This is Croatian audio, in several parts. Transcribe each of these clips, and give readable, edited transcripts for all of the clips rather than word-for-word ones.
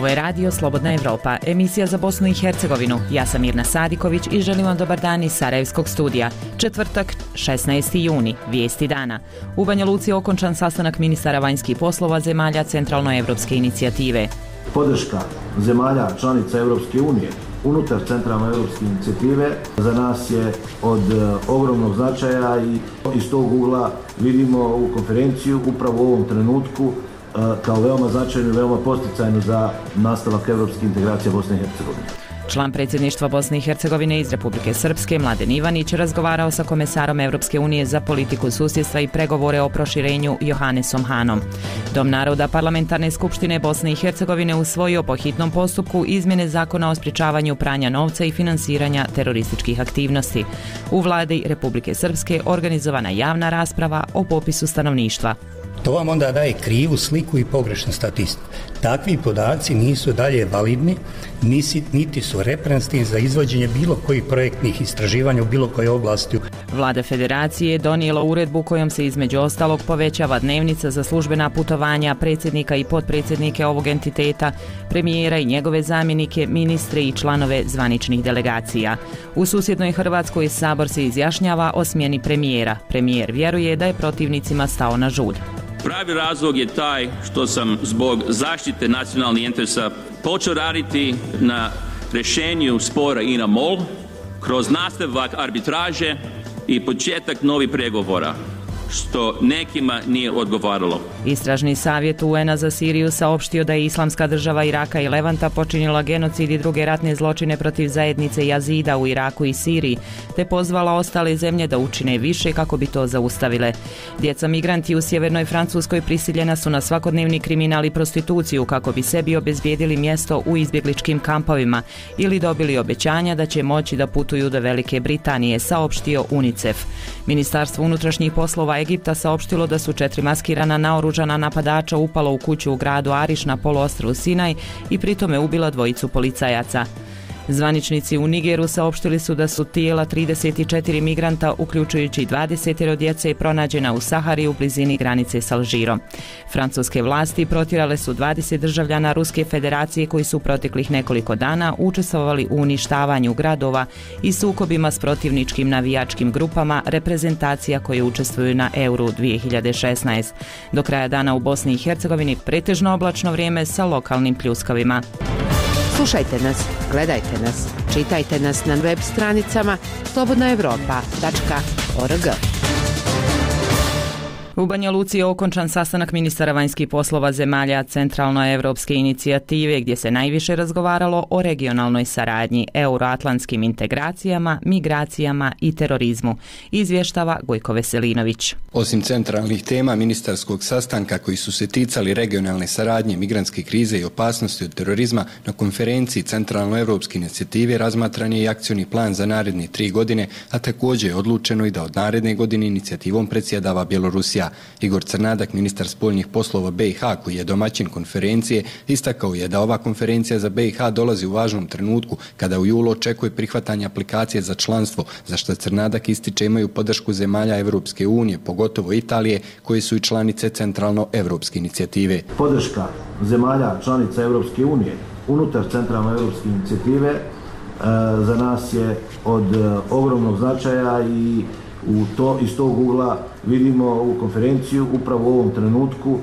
Ovo je radio Slobodna Evropa, emisija za Bosnu i Hercegovinu. Ja sam Mirna Sadiković i želim vam dobar dan iz Sarajevskog studija. Četvrtak, 16. juni, vijesti dana. U Banja Luci je okončan sastanak ministara vanjskih poslova zemalja Centralnoevropske inicijative. Podrška zemalja članica Europske unije unutar Centralnoevropske inicijative za nas je od ogromnog značaja i iz tog ugla vidimo ovu konferenciju upravo u ovom trenutku kao veoma značajnu i veoma posticajnu za nastavak evropske integracije Bosne i Hercegovine. Član predsjedništva Bosne i Hercegovine iz Republike Srpske, Mladen Ivanić, razgovarao sa komesarom Evropske unije za politiku susjedstva i pregovore o proširenju Johannesom Hanom. Dom naroda Parlamentarne skupštine Bosne i Hercegovine usvojio po hitnom postupku izmjene zakona o sprječavanju pranja novca i finansiranja terorističkih aktivnosti. U vladi Republike Srpske organizovana javna rasprava o popisu stanovništva. To vam onda daje krivu sliku i pogrešnu statistiku. Takvi podaci nisu dalje validni, niti su reprezentativni za izvođenje bilo kojih projektnih istraživanja u bilo kojoj oblasti. Vlada Federacije je donijela uredbu kojom se između ostalog povećava dnevnica za službena putovanja predsjednika i potpredsjednike ovog entiteta, premijera i njegove zamjenike, ministre i članove zvaničnih delegacija. U susjednoj Hrvatskoj Sabor se izjašnjava o smjeni premijera. Premijer vjeruje da je protivnicima stao na žud. Pravi razlog je taj što sam zbog zaštite nacionalnih interesa počeo raditi na rješenju spora INA-MOL kroz nastavak arbitraže i početak novih pregovora, što nekima nije odgovaralo. Istražni savjet UN-a za Siriju saopštio da je Islamska država Iraka i Levanta počinila genocid i druge ratne zločine protiv zajednice Jazida u Iraku i Siriji, te pozvala ostale zemlje da učine više kako bi to zaustavile. Djeca migranti u sjevernoj Francuskoj prisiljena su na svakodnevni kriminal i prostituciju kako bi sebi obezbijedili mjesto u izbjegličkim kampovima ili dobili obećanja da će moći da putuju do Velike Britanije, saopštio UNICEF. Ministarstvo unutrašnjih poslova Egipta saopštilo da su 4 maskirana naoružana napadača upala u kuću u gradu Ariš na poluostrvu Sinaj i pritome ubila 2 policajaca. Zvaničnici u Nigeru saopštili su da su tijela 34 migranta, uključujući 20 djece, pronađena u Sahari u blizini granice s Alžirom. Francuske vlasti protjerale su 20 državljana Ruske federacije koji su proteklih nekoliko dana učestvovali u uništavanju gradova i sukobima s protivničkim navijačkim grupama reprezentacija koje učestvuju na Euru 2016. Do kraja dana u Bosni i Hercegovini pretežno oblačno vrijeme sa lokalnim pljuskavima. Slušajte nas, gledajte nas, čitajte nas na web stranicama slobodnaevropa.org. U Banja Luci je okončan sastanak ministara vanjskih poslova zemalja Centralnoevropske inicijative gdje se najviše razgovaralo o regionalnoj saradnji, euroatlantskim integracijama, migracijama i terorizmu, izvještava Gojko Veselinović. Osim centralnih tema ministarskog sastanka koji su se ticali regionalne saradnje, migrantske krize i opasnosti od terorizma, na konferenciji Centralnoevropske inicijative razmatran je i akcioni plan za naredne 3 godine, a također je odlučeno i da od naredne godine inicijativom predsjedava Bjelorusija. Igor Crnadak, ministar spoljnih poslova BiH, koji je domaćin konferencije, istakao je da ova konferencija za BiH dolazi u važnom trenutku kada u julu očekuje prihvatanje aplikacije za članstvo, za što Crnadak ističe imaju podršku zemalja Evropske unije, pogotovo Italije, koje su i članice Centralnoevropske inicijative. Podrška zemalja članica Evropske unije unutar Centralnoevropske inicijative za nas je od ogromnog značaja i iz tog ugla vidimo ovu konferenciju upravo u ovom trenutku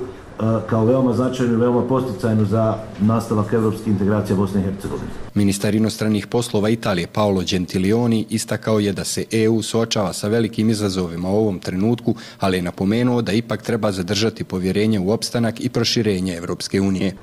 kao veoma značajnu i veoma posticajnu za nastavak evropske integracije Bosne i Hercegovine. Ministar inostranih poslova Italije Paolo Gentiloni istakao je da se EU suočava sa velikim izazovima u ovom trenutku, ali je napomenuo da ipak treba zadržati povjerenje u opstanak i proširenje Evropske unije.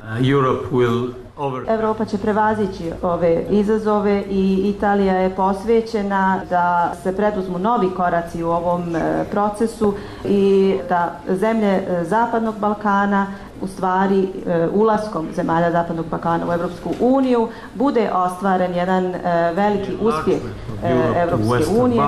Europa će prevazići ove izazove i Italija je posvećena da se preduzmu novi koraci u ovom procesu i da zemlje Zapadnog Balkana u stvari ulaskom zemalja Zapadnog Balkana u Europsku uniju bude ostvaren jedan veliki uspjeh Europske unije.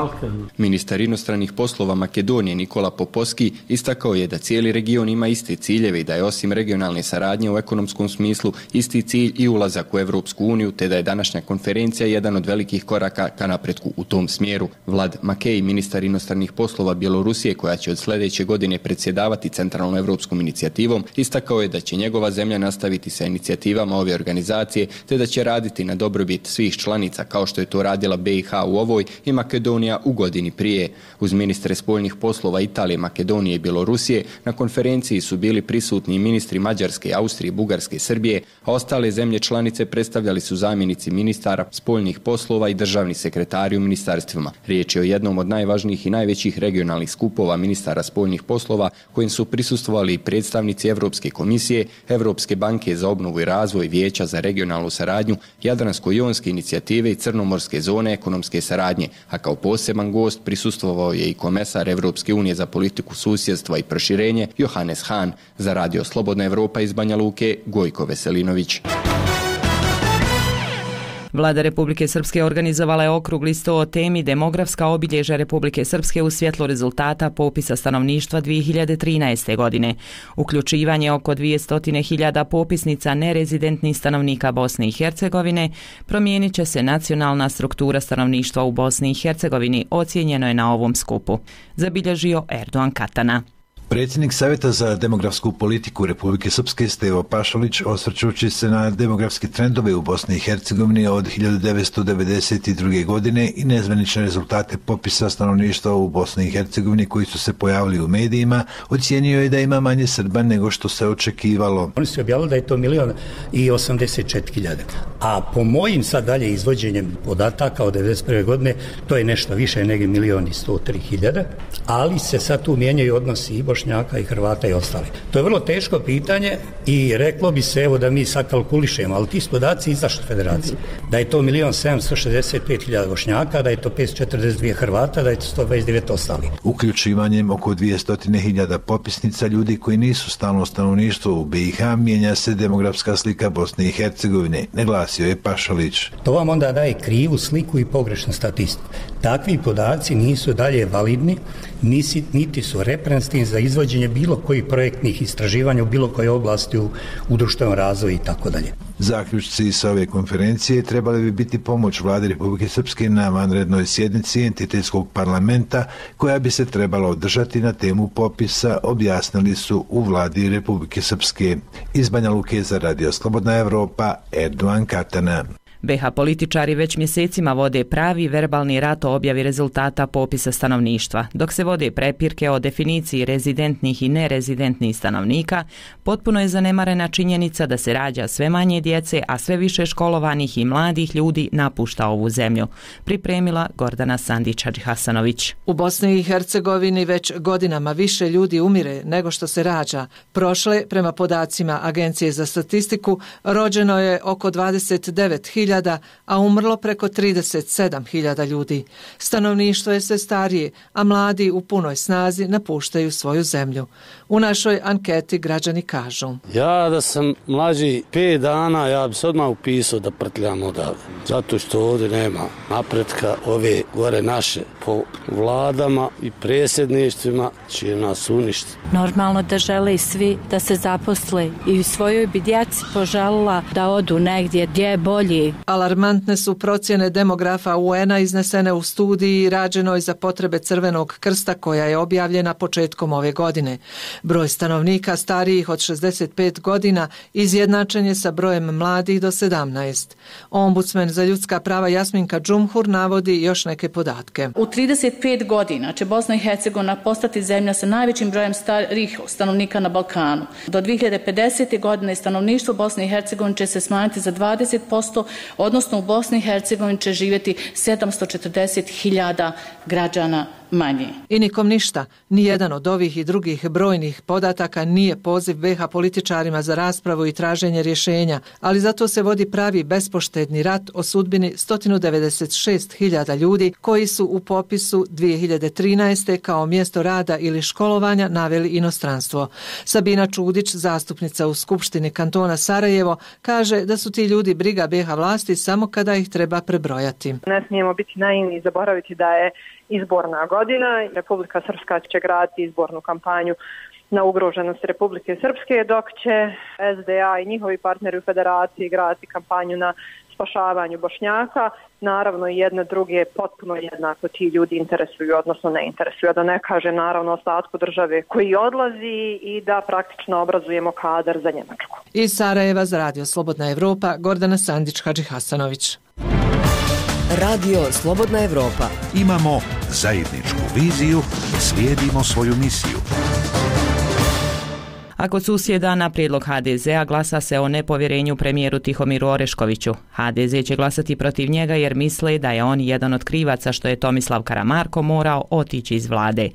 Ministar inostranih poslova Makedonije Nikola Popovski istakao je da cijeli region ima iste ciljeve i da je osim regionalne saradnje u ekonomskom smislu isti cilj i ulazak u Europsku uniju, te da je današnja konferencija jedan od velikih koraka ka napretku u tom smjeru. Vlad Makej, ministar inostranih poslova Bjelorusije, koja će od sljedeće godine predsjedavati Centralnoevropskom inicijativom, istakao Istakao je da će njegova zemlja nastaviti sa inicijativama ove organizacije te da će raditi na dobrobit svih članica kao što je to radila BiH u ovoj i Makedonija u godini prije. Uz ministre spoljnih poslova Italije, Makedonije i Bjelorusije na konferenciji su bili prisutni ministri Mađarske, Austrije, Bugarske i Srbije, a ostale zemlje članice predstavljali su zamjenici ministara spoljnih poslova i državni sekretari u ministarstvima. Riječ je o jednom od najvažnijih i najvećih regionalnih skupova ministara spoljnih poslova kojim su prisustvovali i predstavnici Europske komisije, Europske banke za obnovu i razvoj, Vijeća za regionalnu saradnju, Jadransko-jonske inicijative i Crnomorske zone ekonomske saradnje, a kao poseban gost prisustvovao je i komesar Europske unije za politiku susjedstva i proširenje Johannes Hahn. Za Radio Slobodna Evropa iz Banja Luke, Gojko Veselinović. Vlada Republike Srpske organizovala je okrugli sto o temi demografska obilježja Republike Srpske u svjetlu rezultata popisa stanovništva 2013. godine. Uključivanje oko 200.000 popisnica nerezidentnih stanovnika Bosne i Hercegovine promijenit će se nacionalna struktura stanovništva u Bosni i Hercegovini, ocijenjeno je na ovom skupu, zabilježio Erdogan Katana. Predsjednik Savjeta za demografsku politiku Republike Srpske Stevo Pašalić, osvrćući se na demografske trendove u Bosni i Hercegovini od 1992. godine i nezvanične rezultate popisa stanovništva u Bosni i Hercegovini koji su se pojavili u medijima, ocijenio je da ima manje Srba nego što se očekivalo. Oni su objavili da je to 1.084.000, a po mojim sad dalje izvođenjem podataka od 1991. godine to je nešto više nego 1.103.000, ali se sad tu mijenjaju odnosi i Bošnjaka i Hrvata i ostali. To je vrlo teško pitanje i reklo bi se evo da mi sad kalkulišemo, ali ti podaci izašli federacije. Da je to 1.765.000 Bošnjaka, da je to 542 Hrvata, da je to 129 ostali. Uključivanjem oko 200.000 popisnica ljudi koji nisu stalno stanovništvo u BiH mijenja se demografska slika Bosne i Hercegovine, naglasio je Pašalić. To vam onda daje krivu sliku i pogrešnu statistiku. Takvi podaci nisu dalje validni, niti su reprezentativni za izvođenje bilo kojih projektnih istraživanja u bilo kojoj oblasti u društvenom razvoju i tako dalje. Zaključci sa ove konferencije trebali bi biti pomoć Vlade Republike Srpske na vanrednoj sjednici entitetskog parlamenta koja bi se trebala održati na temu popisa, objasnili su u Vladi Republike Srpske. Iz Banja Luke za Radio Slobodna Evropa, Erdogan Katana. BiH političari već mjesecima vode pravi verbalni rat o objavi rezultata popisa stanovništva. Dok se vode prepirke o definiciji rezidentnih i nerezidentnih stanovnika, potpuno je zanemarena činjenica da se rađa sve manje djece, a sve više školovanih i mladih ljudi napušta ovu zemlju. Pripremila Gordana Sandić-Hadžihasanović. U Bosni i Hercegovini već godinama više ljudi umire nego što se rađa. Prošle, prema podacima Agencije za statistiku, rođeno je oko 29.000, a umrlo preko 37.000 ljudi. Stanovništvo je sve starije, a mladi u punoj snazi napuštaju svoju zemlju. U našoj anketi građani kažu: ja da sam mlađi 5 dana, ja bi se odmah upisao da prtljam odavde. Zato što ovdje nema napretka, ove gore naše po vladama i predsjedništvima će nas uništiti. Normalno da žele svi da se zaposle i svojoj bi djeci poželila da odu negdje gdje je bolji. Alarmantne su procjene demografa UN-a iznesene u studiji rađenoj za potrebe Crvenog krsta koja je objavljena početkom ove godine. Broj stanovnika starijih od 65 godina izjednačen je sa brojem mladih do 17. Ombudsman za ljudska prava Jasminka Džumhur navodi još neke podatke. U 35 godina će Bosna i Hercegovina postati zemlja sa najvećim brojem starijih stanovnika na Balkanu. Do 2050. godine stanovništvo Bosne i Hercegovine će se smanjiti za 20%, odnosno u Bosni i Hercegovini će živjeti 740.000 građana manje. I nikom ništa. Nijedan od ovih i drugih brojnih podataka nije poziv BiH političarima za raspravu i traženje rješenja, ali zato se vodi pravi bespoštedni rat o sudbini 196.000 ljudi koji su u popisu 2013. kao mjesto rada ili školovanja naveli inostranstvo. Sabina Čudić, zastupnica u Skupštini kantona Sarajevo, kaže da su ti ljudi briga BiH vlasti samo kada ih treba prebrojati. Ne smijemo biti naivni i zaboraviti da je izborna godina. Republika Srpska će graditi izbornu kampanju na ugroženost Republike Srpske, dok će SDA i njihovi partneri u federaciji graditi kampanju na spašavanju Bošnjaka. Naravno i jedne druge potpuno jednako ti ljudi interesuju, odnosno ne interesuju, da ne kaže naravno ostatku države koji odlazi i da praktično obrazujemo kadar za Njemačku. Iz Sarajeva za Radio Slobodna Evropa, Gordana Sandić-Hadži-Hasanović. Radio Slobodna Evropa. Imamo zajedničku viziju, slijedimo svoju misiju. A kod susjeda na prijedlog HDZ-a glasa se o nepovjerenju premijeru Tihomiru Oreškoviću. HDZ će glasati protiv njega jer misle da je on jedan od krivaca što je Tomislav Karamarko morao otići iz vlade.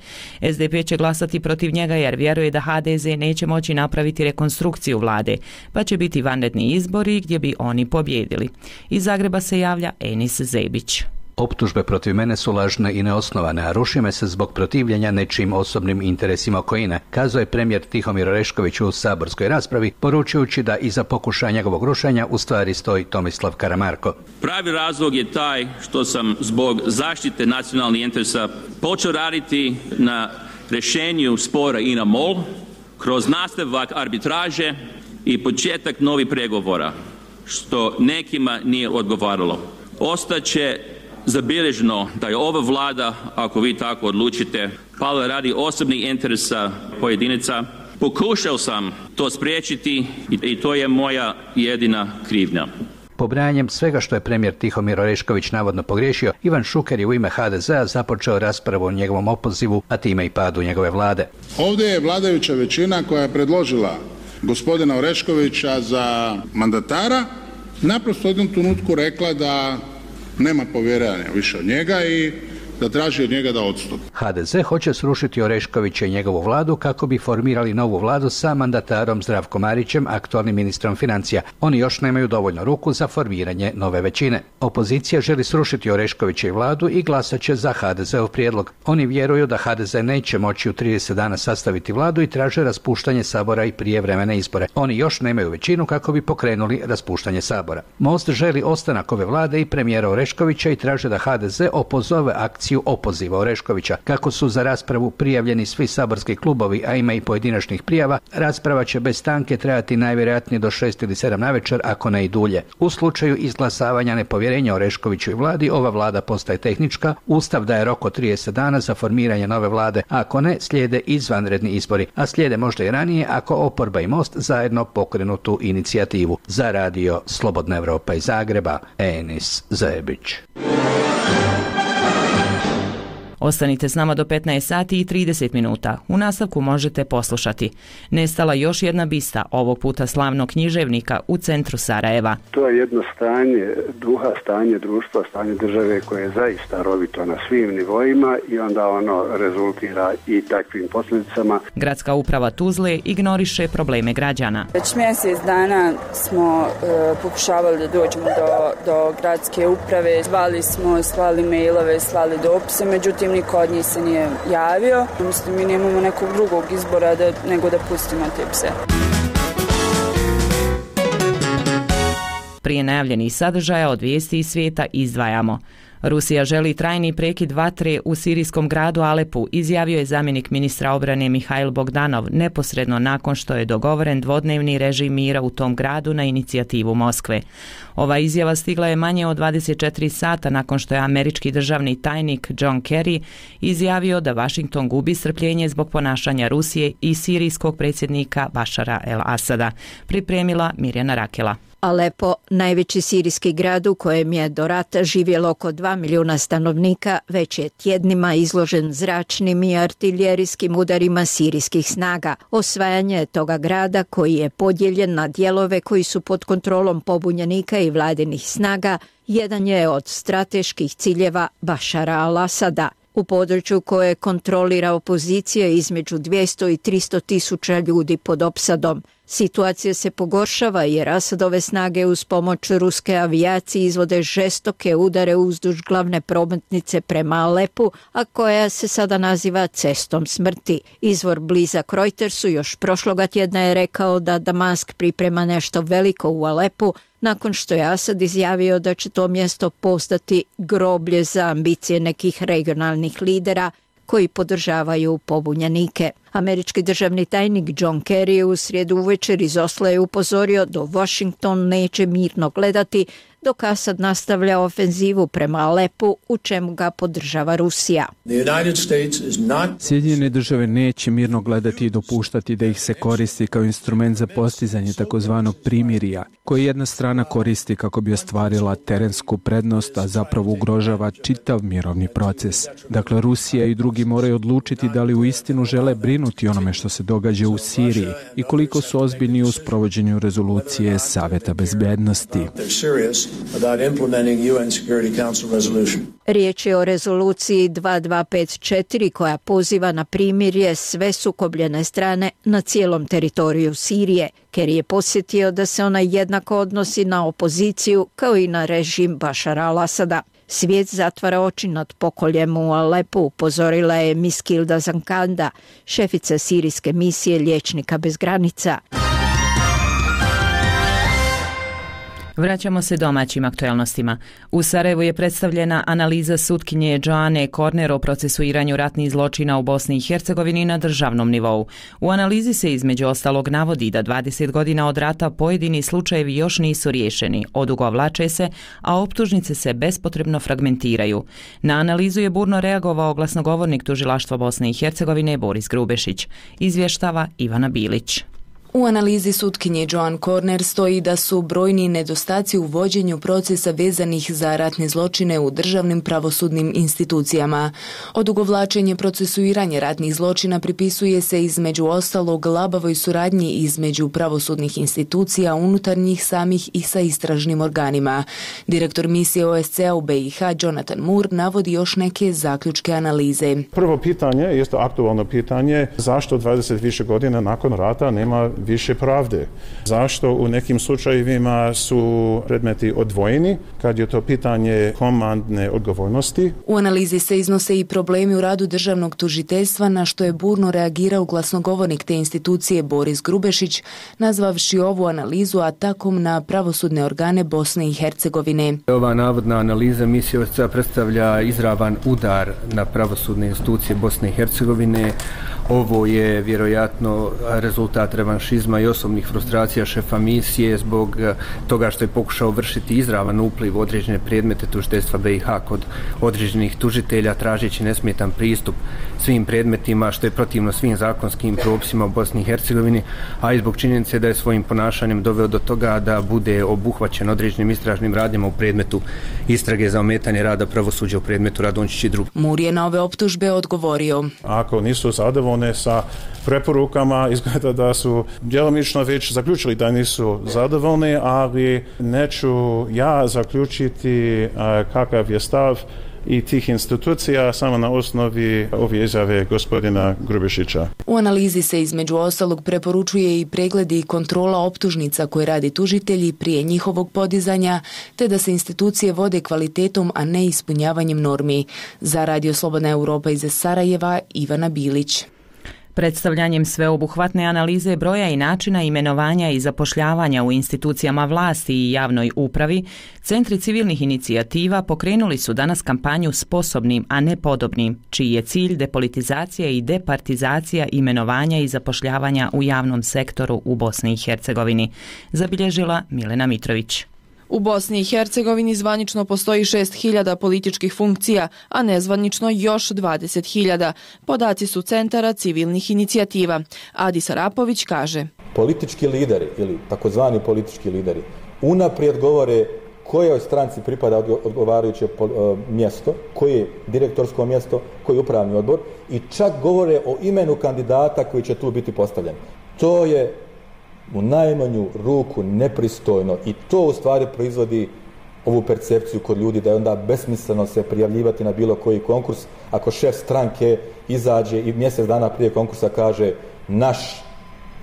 SDP će glasati protiv njega jer vjeruje da HDZ neće moći napraviti rekonstrukciju vlade, pa će biti vanredni izbori gdje bi oni pobjedili. Iz Zagreba se javlja Enis Zebić. Optužbe protiv mene su lažne i neosnovane, a ruši me se zbog protivljenja nečijim osobnim interesima okoline, kazao je premijer Tihomir Orešković u saborskoj raspravi, poručujući da iza pokušaja njegovog rušenja u stvari stoji Tomislav Karamarko. Pravi razlog je taj što sam zbog zaštite nacionalnih interesa počeo raditi na rješenju spora INA-MOL kroz nastavak arbitraže i početak novih pregovora, što nekima nije odgovaralo. Ostaće zabilježeno da je ova vlada, ako vi tako odlučite, pala radi osobnih interesa pojedinaca. Pokušao sam to spriječiti i to je moja jedina krivnja. Pobrajanjem svega što je premijer Tihomir Orešković navodno pogriješio, Ivan Šuker je u ime HDZ-a započeo raspravu o njegovom opozivu, a time i padu njegove vlade. Ovdje je vladajuća većina koja je predložila gospodina Oreškovića za mandatara, naprosto u jednom trenutku rekla da nema povjerenja više od njega i da traži od njega da odstupi. HDZ hoće srušiti Oreškovića i njegovu vladu kako bi formirali novu vladu sa mandatarom Zdravkom Marićem, aktualnim ministrom financija. Oni još nemaju dovoljno ruku za formiranje nove većine. Opozicija želi srušiti Oreškovića i vladu i glasat će za HDZ-ov prijedlog. Oni vjeruju da HDZ neće moći u 30 dana sastaviti vladu i traže raspuštanje Sabora i prijevremene izbore. Oni još nemaju većinu kako bi pokrenuli raspuštanje Sabora. Most želi ostanak ove vlade i premijera Oreškovića i traže da HDZ opozove akciju opoziva Oreškovića. Kako su za raspravu prijavljeni svi saborski klubovi, a ima i pojedinačnih prijava, rasprava će bez stanke trajati najvjerojatnije do 6 ili 7 navečer, ako ne i dulje. U slučaju izglasavanja nepovjerenja Oreškoviću i vladi, ova vlada postaje tehnička, Ustav daje rok od 30 dana za formiranje nove vlade, a ako ne, slijede izvanredni izbori, a slijede možda i ranije ako oporba i Most zajedno pokrenu tu inicijativu. Za Radio Slobodna Evropa iz Zagreba, Enis Zebić. Ostanite s nama do 15 sati i 30 minuta. U nastavku možete poslušati. Nestala još jedna bista, ovog puta slavnog književnika u centru Sarajeva. To je jedno stanje duha, stanje društva, stanje države koje je zaista rovito na svim nivoima i onda ono rezultira i takvim posljedicama. Gradska uprava Tuzle ignoriše probleme građana. Već mjesec dana smo pokušavali da dođemo do gradske uprave. Zvali smo, slali mailove, slali dopise, međutim niko od njih se nije javio. Mislim, mi nemamo nekog drugog izbora nego da pustimo te pse. Prije najavljenih sadržaja od vijesti iz svijeta izdvajamo. Rusija želi trajni prekid vatre u sirijskom gradu Alepu, izjavio je zamjenik ministra obrane Mihajl Bogdanov neposredno nakon što je dogovoren dvodnevni režim mira u tom gradu na inicijativu Moskve. Ova izjava stigla je manje od 24 sata nakon što je američki državni tajnik John Kerry izjavio da Washington gubi strpljenje zbog ponašanja Rusije i sirijskog predsjednika Bašara el-Asada. Pripremila Mirjana Rakela. Alepo, najveći sirijski grad u kojem je do rata živjelo oko 2 milijuna stanovnika, već je tjednima izložen zračnim i artiljerijskim udarima sirijskih snaga. Osvajanje toga grada, koji je podijeljen na dijelove koji su pod kontrolom pobunjenika i vladinih snaga, jedan je od strateških ciljeva Bašara al-Asada. U području koje kontrolira opozicija između 200 i 300 tisuća ljudi pod opsadom. Situacija se pogoršava jer Asadove snage uz pomoć ruske avijacije izvode žestoke udare uzduž glavne prometnice prema Alepu, a koja se sada naziva cestom smrti. Izvor blizak Reutersu još prošloga tjedna je rekao da Damask priprema nešto veliko u Alepu, nakon što je Asad izjavio da će to mjesto postati groblje za ambicije nekih regionalnih lidera koji podržavaju pobunjenike. Američki državni tajnik John Kerry u srijedu uvečer iz Osla je upozorio da Washington neće mirno gledati dok Asad nastavlja ofenzivu prema Alepu, u čemu ga podržava Rusija. Sjedinjene države neće mirno gledati i dopuštati da ih se koristi kao instrument za postizanje takozvanog primirja, koje jedna strana koristi kako bi ostvarila terensku prednost, a zapravo ugrožava čitav mirovni proces. Dakle, Rusija i drugi moraju odlučiti da li uistinu žele brinuti onome što se događa u Siriji i koliko su ozbiljni u sprovođenju rezolucije Saveta bezbednosti. Riječ je o rezoluciji 2254 koja poziva na primirje sve sukobljene strane na cijelom teritoriju Sirije. Kerry je podsjetio da se ona jednako odnosi na opoziciju kao i na režim Bašara al-Asada. Svijet zatvara oči nad pokoljem u Alepu, upozorila je Miskilda Zankanda, šefica sirijske misije Liječnika bez granica. Vraćamo se domaćim aktualnostima. U Sarajevu je predstavljena analiza sutkinje Joane Korner o procesuiranju ratnih zločina u Bosni i Hercegovini na državnom nivou. U analizi se između ostalog navodi da 20 godina od rata pojedini slučajevi još nisu riješeni, odugovlače se, a optužnice se bespotrebno fragmentiraju. Na analizu je burno reagovao glasnogovornik Tužilaštva Bosne i Hercegovine Boris Grubešić. Izvještava Ivana Bilić. U analizi sutkinje Joan Korner stoji da su brojni nedostaci u vođenju procesa vezanih za ratne zločine u državnim pravosudnim institucijama. Odugovlačenje procesuiranja ratnih zločina pripisuje se između ostalog labavoj suradnji između pravosudnih institucija unutar njih samih i sa istražnim organima. Direktor misije OSCE u BiH Jonathan Moore navodi još neke zaključke analize. Prvo pitanje, jeste aktualno pitanje, zašto 20 više godina nakon rata nema više pravde. Zašto u nekim slučajevima su predmeti odvojeni, kad je to pitanje komandne odgovornosti? U analizi se iznose i problemi u radu državnog tužiteljstva, na što je burno reagirao glasnogovornik te institucije Boris Grubešić, nazvavši ovu analizu atakom na pravosudne organe Bosne i Hercegovine. Ova navodna analiza misije OSCE predstavlja izravan udar na pravosudne institucije Bosne i Hercegovine. Ovo je vjerojatno rezultat revanšizma i osobnih frustracija šefa misije zbog toga što je pokušao vršiti izravan upliv u određene predmete tužiteljstva BiH kod određenih tužitelja, tražeći nesmetan pristup svim predmetima, što je protivno svim zakonskim propisima u Bosni i Hercegovini, a i zbog činjenice da je svojim ponašanjem doveo do toga da bude obuhvaćen određenim istražnim radnjama u predmetu istrage za ometanje rada pravosuđa u predmetu Radončić i drugi. Moore je na ove optužbe odgovorio. Ako nisu zadovoljni sa preporukama, izgleda da su djelomično već zaključili da nisu zadovoljni, ali neću ja zaključiti kakav je stav i tih institucija samo na osnovi ove izjave gospodina Grubešića. U analizi se između ostalog preporučuje i pregledi i kontrola optužnica koje radi tužitelji prije njihovog podizanja, te da se institucije vode kvalitetom, a ne ispunjavanjem normi. Za Radio Slobodna Europa iz Sarajeva, Ivana Bilić. Predstavljanjem sveobuhvatne analize broja i načina imenovanja i zapošljavanja u institucijama vlasti i javnoj upravi, centri civilnih inicijativa pokrenuli su danas kampanju Sposobnim, a ne podobnim, čiji je cilj depolitizacija i departizacija imenovanja i zapošljavanja u javnom sektoru u Bosni i Hercegovini, zabilježila Milena Mitrović. U Bosni i Hercegovini zvanično postoji 6.000 političkih funkcija, a nezvanično još 20.000. Podaci su centara civilnih inicijativa. Adis Arapović kaže: Politički lideri ili takozvani politički lideri unaprijed govore kojoj stranci pripada odgovarajuće mjesto, koje je direktorsko mjesto, koji je upravni odbor i čak govore o imenu kandidata koji će tu biti postavljen. To je u najmanju ruku nepristojno i to u stvari proizvodi ovu percepciju kod ljudi da je onda besmisleno se prijavljivati na bilo koji konkurs ako šef stranke izađe i mjesec dana prije konkursa kaže naš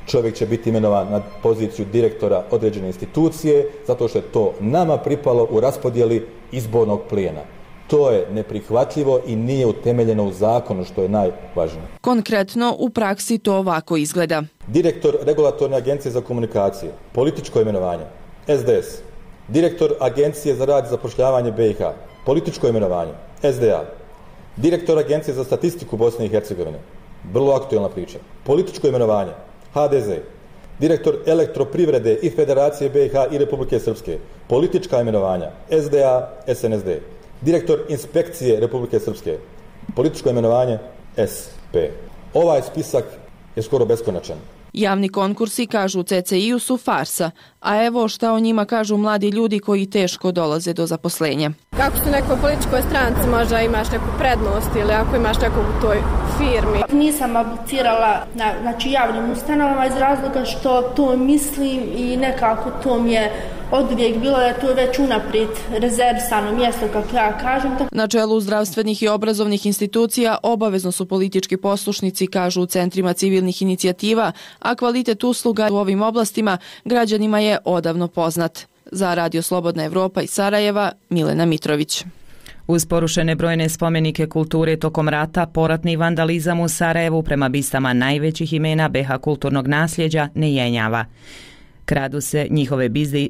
čovjek će biti imenovan na poziciju direktora određene institucije zato što je to nama pripalo u raspodjeli izbornog plijena. To je neprihvatljivo i nije utemeljeno u zakonu, što je najvažnije. Konkretno, u praksi to ovako izgleda. Direktor Regulatorne agencije za komunikacije, političko imenovanje, SDS. Direktor Agencije za rad i zapošljavanje BiH, političko imenovanje, SDA. Direktor Agencije za statistiku Bosne i Hercegovine, vrlo aktualna priča, političko imenovanje, HDZ. direktor elektroprivrede i Federacije BiH i Republike Srpske, politička imenovanja SDA, SNSD, direktor inspekcije Republike Srpske, političko imenovanje SP. Ovaj spisak je skoro beskonačan. Javni konkursi, kažu u CCI-u, su farsa, a evo šta o njima kažu mladi ljudi koji teško dolaze do zaposlenja. Kako su u nekoj političkoj stranci, možda imaš neku prednost ili ako imaš nekog u toj firmi. Nisam aplicirala na javnim ustanovama iz razloga što to mislim i nekako to mi je oduvijek bilo da je to već unaprijed rezervisano mjesto, kako ja kažem. Na čelu zdravstvenih i obrazovnih institucija obavezno su politički poslušnici, kažu u centrima civilnih inicijativa, a kvalitet usluga u ovim oblastima građanima je odavno poznat. Za Radio Slobodna Evropa iz Sarajeva, Milena Mitrović. Uz porušene brojne spomenike kulture tokom rata, poratni vandalizam u Sarajevu prema bistama najvećih imena BiH kulturnog nasljeđa ne jenjava. Kradu se njihove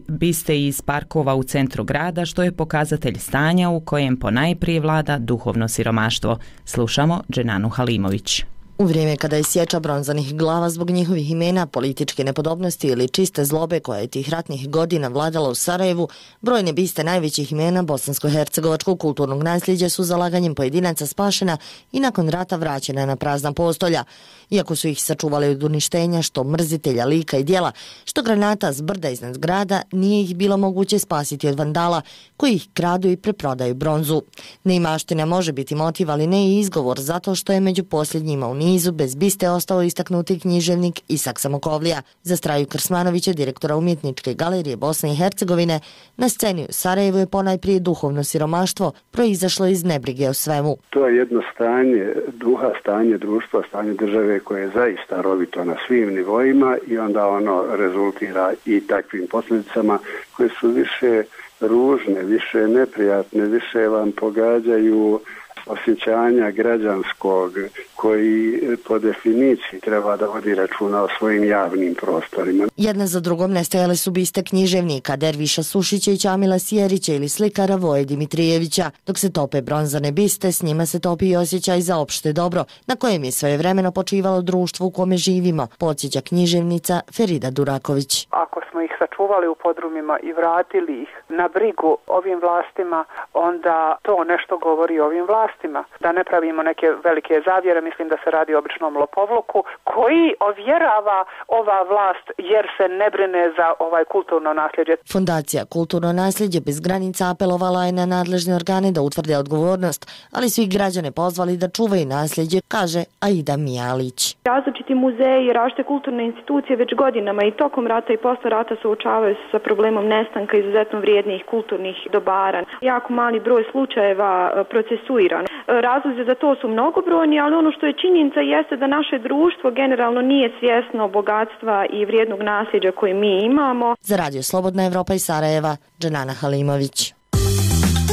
biste iz parkova u centru grada, što je pokazatelj stanja u kojem ponajprije vlada duhovno siromaštvo. Slušamo Dženanu Halimović. U vrijeme kada je sječa bronzanih glava zbog njihovih imena, političke nepodobnosti ili čiste zlobe koja je tih ratnih godina vladala u Sarajevu, brojne biste najvećih imena bosansko-hercegovačkog kulturnog nasljeđa su zalaganjem pojedinaca spašena i nakon rata vraćena na prazna postolja. Iako su ih sačuvali od uništenja, što mrzitelja lika i djela, što granata s brda iznad grada, nije ih bilo moguće spasiti od vandala koji ih kradu i preprodaju bronzu. Neimaština može biti motiv, ali ne i izgovor, zato što je među posljednjima u nizu bez biste ostao istaknuti književnik Isak Samokovlija. Za Straju Krsmanovića, direktora Umjetničke galerije Bosne i Hercegovine, na sceni u Sarajevu je ponajprije duhovno siromaštvo proizašlo iz nebrige o svemu. To je jedno stanje duha, stanje društva, stanje države koje je zaista rovito na svim nivoima i onda ono rezultira i takvim posljedicama koje su više ružne, više neprijatne, više vam pogađaju osjećanja građanskog koji po definiciji treba da vodi računa o svojim javnim prostorima. Jedna za drugom nestajale su biste književnika Derviša Sušića i Čamila Sjerića ili slikara Voje Dimitrijevića. Dok se tope bronzane biste, s njima se topi i osjećaj za opšte dobro, na kojem je svojevremeno počivalo društvo u kome živimo, podsjeća književnica Ferida Duraković. Ako smo ih sačuvali u podrumima i vratili ih na brigu ovim vlastima, onda to nešto govori o ovim vlastima. Da ne pravimo neke velike zavjere, mislim da se radi o običnom lopovluku koji ovjerava ova vlast jer se ne brine za ovaj kulturno nasljeđe. Fondacija Kulturno nasljeđe bez granica apelovala je na nadležne organe da utvrde odgovornost, ali svi građane pozvali da čuvaju nasljeđe, kaže Aida Mijalić. Različiti muzeji i različite kulturne institucije već godinama i tokom rata i posle rata suočavaju se sa problemom nestanka izuzetno vrijednih kulturnih dobara. Jako mali broj slučajeva procesuiran. Razlozi za to su mnogobrojni, ali ono što je činjenica jeste da naše društvo generalno nije svjesno bogatstva i vrijednog nasljeđa koje mi imamo. Za Radio Slobodna Evropa iz Sarajeva, Dženana Halimović.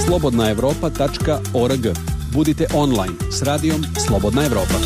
slobodnaevropa.org. Budite online s radijom Slobodna Evropa.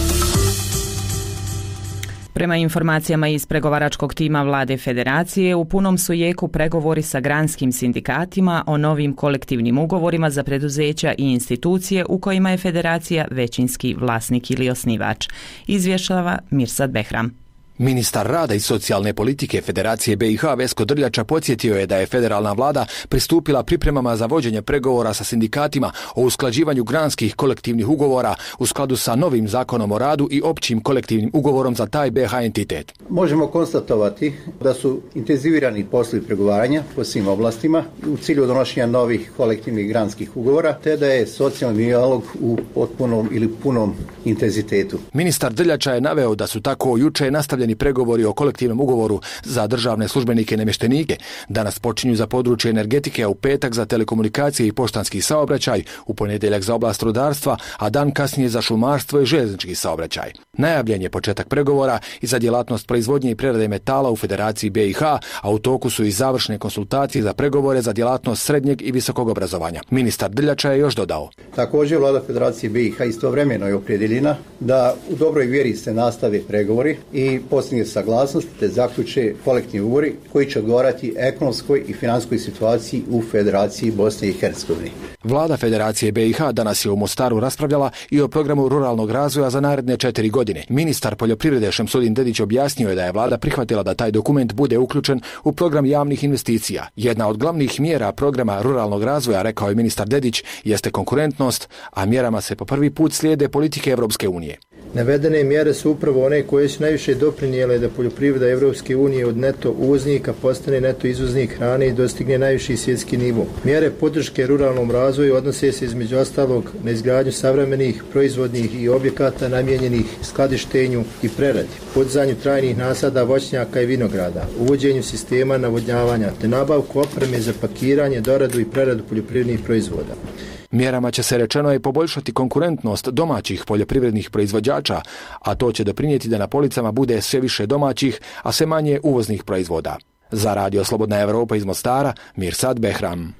Prema informacijama iz pregovaračkog tima vlade Federacije, u punom su jeku pregovori sa granskim sindikatima o novim kolektivnim ugovorima za preduzeća i institucije u kojima je Federacija većinski vlasnik ili osnivač. Izvještava Mirsad Behram. Ministar rada i socijalne politike Federacije BiH Vesko Drljača podsjetio je da je federalna vlada pristupila pripremama za vođenje pregovora sa sindikatima o usklađivanju granskih kolektivnih ugovora u skladu sa novim zakonom o radu i općim kolektivnim ugovorom za taj BiH entitet. Možemo konstatovati da su intenzivirani poslovi pregovaranja po svim oblastima u cilju donošenja novih kolektivnih granskih ugovora, te da je socijalni dijalog u potpunom ili punom intenzitetu. Ministar Drljača je naveo da su tako juče nastavljeni pregovori o kolektivnom ugovoru za državne službenike i namještenike. Danas počinju za područje energetike, a u petak za telekomunikacije i poštanski saobraćaj, u ponedjeljak za oblast rudarstva, a dan kasnije za šumarstvo i željeznički saobraćaj. Najavljen je početak pregovora i za djelatnost proizvodnje i prerade metala u Federaciji BiH, a u toku su i završne konsultacije za pregovore za djelatnost srednjeg i visokog obrazovanja. Ministar Drljača je još dodao. Također vlada Federacije BiH istovremeno je opredjeljena da u dobroj vjeri se nastave pregovori i postigne saglasnost te zaključe kolektivni ugovori koji će odgovarati ekonomskoj i financijskoj situaciji u Federaciji Bosne i Hercegovine. Vlada Federacije BiH danas je u Mostaru raspravljala i o programu ruralnog razvoja za naredne 4 godine. godine. Ministar poljoprivrede Šemsudin Dedić objasnio je da je vlada prihvatila da taj dokument bude uključen u program javnih investicija. Jedna od glavnih mjera programa ruralnog razvoja, rekao je ministar Dedić, jeste konkurentnost, a mjerama se po prvi put slijede politike Europske unije. Navedene mjere su upravo one koje su najviše doprinijele da poljoprivreda Europske unije od neto uvoznika postane neto izvoznik hrane i dostigne najviši svjetski nivo. Mjere podrške ruralnom razvoju odnose se između ostalog na izgradnju savremenih proizvodnih i objekata namijenjenih skladištenju i preradi, podizanju trajnih nasada voćnjaka i vinograda, uvođenju sistema navodnjavanja te nabavku opreme za pakiranje, doradu i preradu poljoprivrednih proizvoda. Mjerama će se, rečeno je, poboljšati konkurentnost domaćih poljoprivrednih proizvođača, a to će doprinijeti da na policama bude sve više domaćih, a sve manje uvoznih proizvoda. Za Radio Slobodna Europa iz Mostara, Mirsad Behram.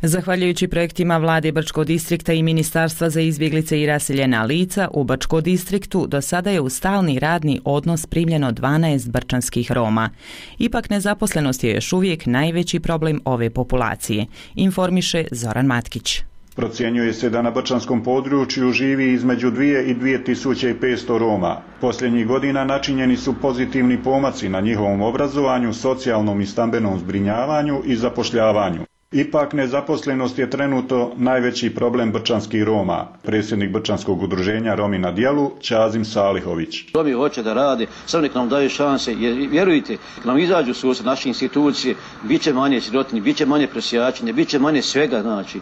Zahvaljujući projektima vlade Brčkog distrikta i Ministarstva za izbjeglice i raseljena lica, u Brčkom distriktu do sada je u stalni radni odnos primljeno 12 brčanskih Roma. Ipak nezaposlenost je još uvijek najveći problem ove populacije, informiše Zoran Matkić. Procjenjuje se da na brčanskom području živi između 2 i 2500 Roma. Posljednjih godina načinjeni su pozitivni pomaci na njihovom obrazovanju, socijalnom i stambenom zbrinjavanju i zapošljavanju. Ipak nezaposlenost je trenutno najveći problem brčanskih Roma. Predsjednik Brčanskog udruženja Romi na djelu, Čazim Salihović. Romi hoće da rade, samo nek nam daju šanse, jer vjerujte, kad nam izađu susret naše institucije, bit će manje sirotinje, bit će manje prosjačenja, bit će manje svega, znači,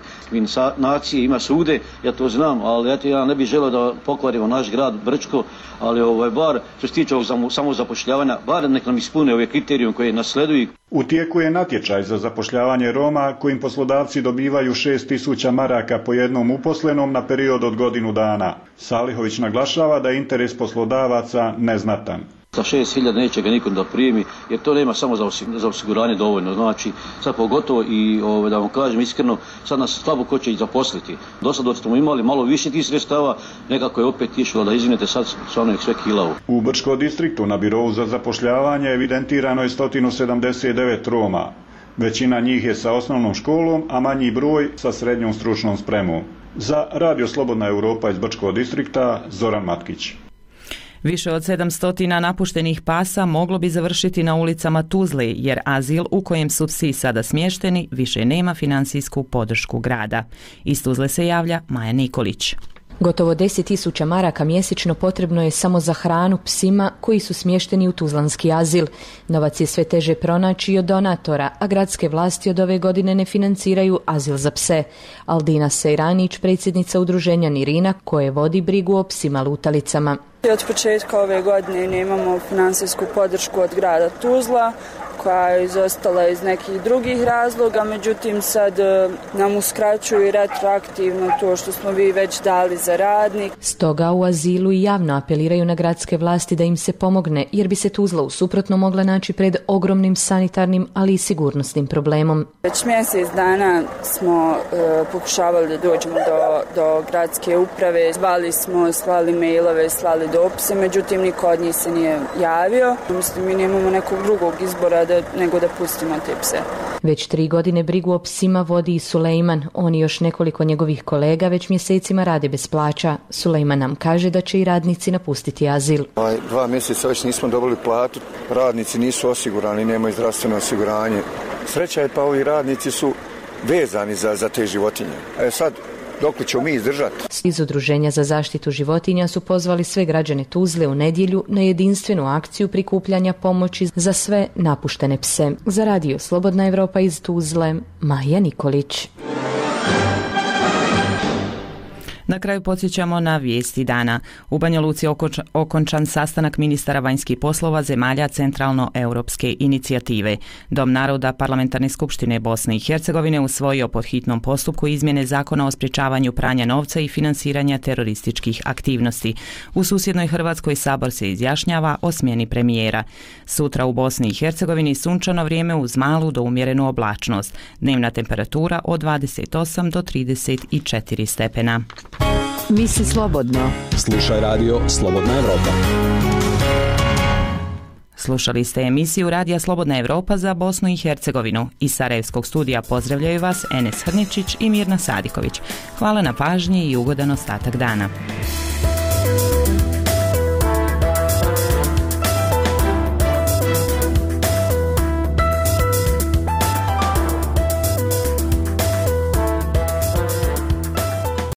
nacije ima sude, ja to znam, ali eto, ja ne bih želeo da pokvarimo naš grad Brčko, ali bar što se tiče ovog samozapošljavanja, bar nek nam ispune ove kriterijum koje nasleduju. U tijeku je natječaj za zapošljavanje Roma kojim poslodavci dobivaju 6.000 maraka po jednom uposlenom na period od godinu dana. Salihović naglašava da je interes poslodavaca neznatan. Za 6.000 neće ga nikom da primi, jer to nema samo za osiguranje dovoljno. Znači, sad pogotovo i da vam kažem iskreno, sad nas slabo ko će i zaposliti. Do sada smo imali malo više tih sredstava, nekako je opet išlo da izvinete, sad stvarno je sve kilavo. U Brčkom distriktu na birovu za zapošljavanje evidentirano je 179 Roma. Većina njih je sa osnovnom školom, a manji broj sa srednjom stručnom spremom. Za Radio Slobodna Europa iz Brčkog distrikta, Zoran Matkić. Više od 700 napuštenih pasa moglo bi završiti na ulicama Tuzle, jer azil u kojem su psi sada smješteni više nema financijsku podršku grada. Iz Tuzle se javlja Maja Nikolić. Gotovo 10.000 maraka mjesečno potrebno je samo za hranu psima koji su smješteni u tuzlanski azil. Novac je sve teže pronaći i od donatora, a gradske vlasti od ove godine ne financiraju azil za pse. Aldina Sejranić, predsjednica udruženja Nirina, koje vodi brigu o psima lutalicama. Od početka ove godine nemamo financijsku podršku od grada Tuzla, koja je izostala iz nekih drugih razloga, međutim sad nam uskraćuju retroaktivno to što smo vi već dali za radnik. Stoga u azilu i javno apeliraju na gradske vlasti da im se pomogne, jer bi se Tuzla u suprotno mogla naći pred ogromnim sanitarnim, ali i sigurnosnim problemom. Već mjesec dana smo pokušavali da dođemo do gradske uprave, zvali smo, slali mailove, slali dopise, međutim niko od njih se nije javio. Mislim, mi nemamo nekog drugog izbora nego da pustimo te pse. Već 3 godine brigu o psima vodi i Sulejman. On i još nekoliko njegovih kolega već mjesecima rade bez plaća. Sulejman nam kaže da će i radnici napustiti azil. 2 mjeseca već nismo dobili platu, radnici nisu osigurani, nemaju zdravstveno osiguranje. Sreća je pa ovi radnici su vezani za te životinje. Sad dok li ćemo mi izdržati? Iz Udruženja za zaštitu životinja su pozvali sve građane Tuzle u nedjelju na jedinstvenu akciju prikupljanja pomoći za sve napuštene pse. Za Radio Slobodna Europa iz Tuzle, Maja Nikolić. Na kraju podsjećamo na vijesti dana. U Banja Luci okončan sastanak ministara vanjskih poslova zemalja Centralno-europske inicijative. Dom naroda Parlamentarne skupštine Bosne i Hercegovine usvojio pod hitnom postupku izmjene zakona o sprječavanju pranja novca i financiranja terorističkih aktivnosti. U susjednoj Hrvatskoj sabor se izjašnjava o smjeni premijera. Sutra u Bosni i Hercegovini sunčano vrijeme uz malu do umjerenu oblačnost. Dnevna temperatura od 28 do 34 stepena. Misli slobodno. Slušaj radio Slobodna Europa. Slušali ste emisiju Radija Slobodna Europa za Bosnu i Hercegovinu. Iz Sarajevskog studija pozdravljaju vas Enes Hrničić i Mirna Sadiković. Hvala na pažnji i ugodan ostatak dana.